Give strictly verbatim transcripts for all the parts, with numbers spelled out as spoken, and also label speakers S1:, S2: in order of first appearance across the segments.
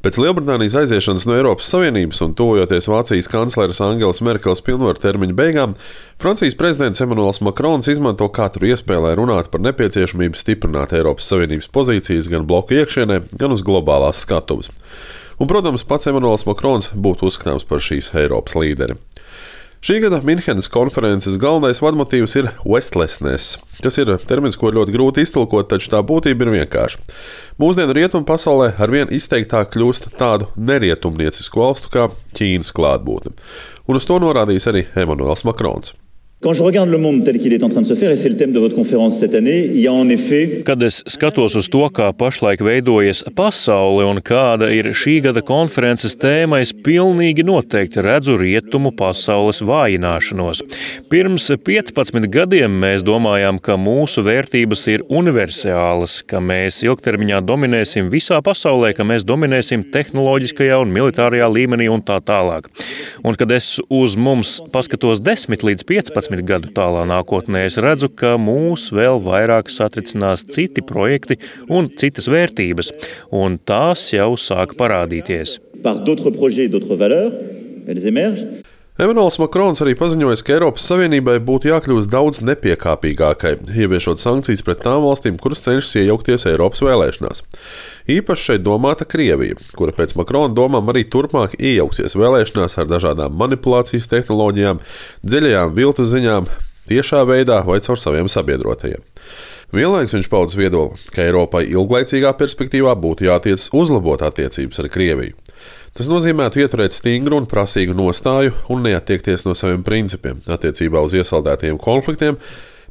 S1: Pēc Lielbritānijas aiziešanas no Eiropas Savienības un tuvojoties Vācijas kancleres Angelas Merkeles pilnvaru termiņa beigām, Francijas prezidents Emmanuels Macrons izmanto katru iespēju, lai runātu par nepieciešamību stiprināt Eiropas Savienības pozīcijas gan bloka iekšienē, gan uz globālās skatuves. Un, protams, pats Emmanuels Macrons būtu uzskatāms par šīs Eiropas līderi. Šī gada Minhenes konferences galvenais vadmotīvs ir Westlessness, kas ir termins, ko ļoti grūti iztulkot, taču tā būtība ir vienkārša. Mūsdienu rietumu pasaulē arvien izteiktāk kļūst tādu nerietumniecisku valstu kā Ķīnas klātbūtne. Un uz to norādījis arī Emmanuels Macrons.
S2: Quand je regarde le monde tel qu'il est en train de se faire, et c'est le thème de votre conférence cette année, il y a en effet...
S3: Kad es skatos uz to, kā pašlaik veidojas pasaule un kāda ir šī gada konferences tēma, es pilnīgi noteikti redzu rietumu pasaules vājināšanos. Pirms piecpadsmit gadiem mēs domājām, ka mūsu vērtības ir universālas, ka mēs ilgtermiņā dominēsim visā pasaulē, ka mēs dominēsim tehnoloģiskajā un militārajā līmenī un tā tālāk. Un kad es uz mums paskatos desmit līdz piecpadsmit gadu tālā nākotnē, es redzu, ka mūs vēl vairāk satricinās citi projekti un citas vērtības, un tās jau sāk parādīties.
S2: Par d'autres projets, d'autres valeurs, elles émergent.
S1: Emmanuels Macrons arī paziņoja, ka Eiropas Savienībai būtu jākļūst daudz nepiekāpīgākai, ieviešot sankcijas pret tām valstīm, kuras cenšas iejaukties Eiropas vēlēšanās. Īpaši šeit domāta Krievija, kura pēc Macrona domām arī turpmāk iejauksies vēlēšanās ar dažādām manipulācijas tehnoloģijām, dziļajām viltu ziņām, tiešā veidā vai caur saviem sabiedrotajiem. Vienlaikus viņš pauda viedokli, ka Eiropai ilglaicīgā perspektīvā būtu jātiecas uzlabot attiecības ar Krieviju. Tas nozīmētu ieturēt stingru un prasīgu nostāju un neattiekties no saviem principiem attiecībā uz iesaldētajiem konfliktiem,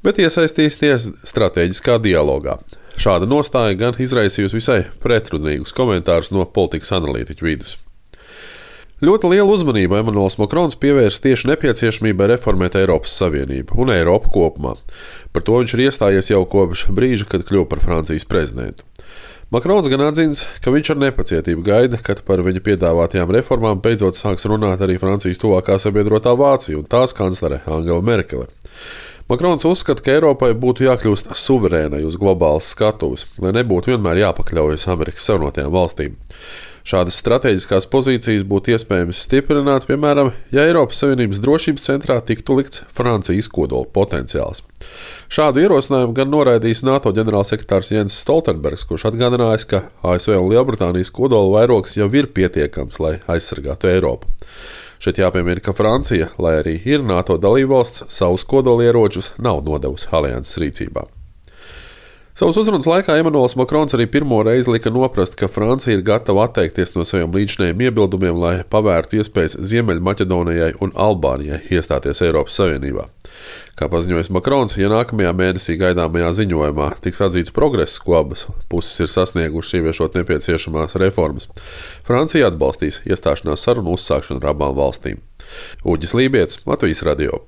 S1: bet iesaistīties stratēģiskā dialogā. Šāda nostāja gan izraisījusi visai pretrunīgus komentārus no politikas analītiķu vidus. Ļoti lielu uzmanību Emmanuels Macrons pievērsa tieši nepieciešamībai reformēt Eiropas Savienību un Eiropu kopumā. Par to viņš ir iestājies jau kopš brīža, kad kļuva par Francijas prezidentu. Macrons gan atzins, ka viņš ar nepacietību gaida, kad par viņa piedāvātajām reformām beidzot sāks runāt arī Francijas tuvākā sabiedrotā Vācija un tās kanclere Angela Merkele. Macrons uzskata, ka Eiropai būtu jākļūst suverēnai uz globālas skatuves, lai nebūtu vienmēr jāpakļaujas Amerikas Savienotajām valstīm. Šādas strateģiskās pozīcijas būtu iespējams stiprināt, piemēram, ja Eiropas Savienības drošības centrā tiktu likts Francijas kodola potenciāls. Šādu ierosinājumu gan noraidījis NATO ģenerālsekretārs Jens Stoltenbergs, kurš atgādinājis, ka A S V un Lielbritānijas kodola vairogs jau ir pietiekams, lai aizsargātu Eiropu. Šeit jāpiemina, ka Francija, lai arī ir NATO dalībvalsts, savus kodolieročus nav nodevusi alianses rīcībā. Savas uzrunas laikā Emmanuels Macrons arī pirmo reizi lika noprast, ka Francija ir gatava atteikties no saviem līdzinējiem iebildumiem, lai pavērtu iespējas Ziemeļmaķedonijai un Albānijai iestāties Eiropas Savienībā. Kā paziņojis Macrons, ja nākamajā mēnesī gaidāmajā ziņojumā tiks atzīts progress, ko abas puses ir sasniegušas ieviešot nepieciešamās reformas, Francija atbalstīs iestāšanās sarunu uzsākšanu ar abām valstīm. Uģis Lībietis, Latvijas radio.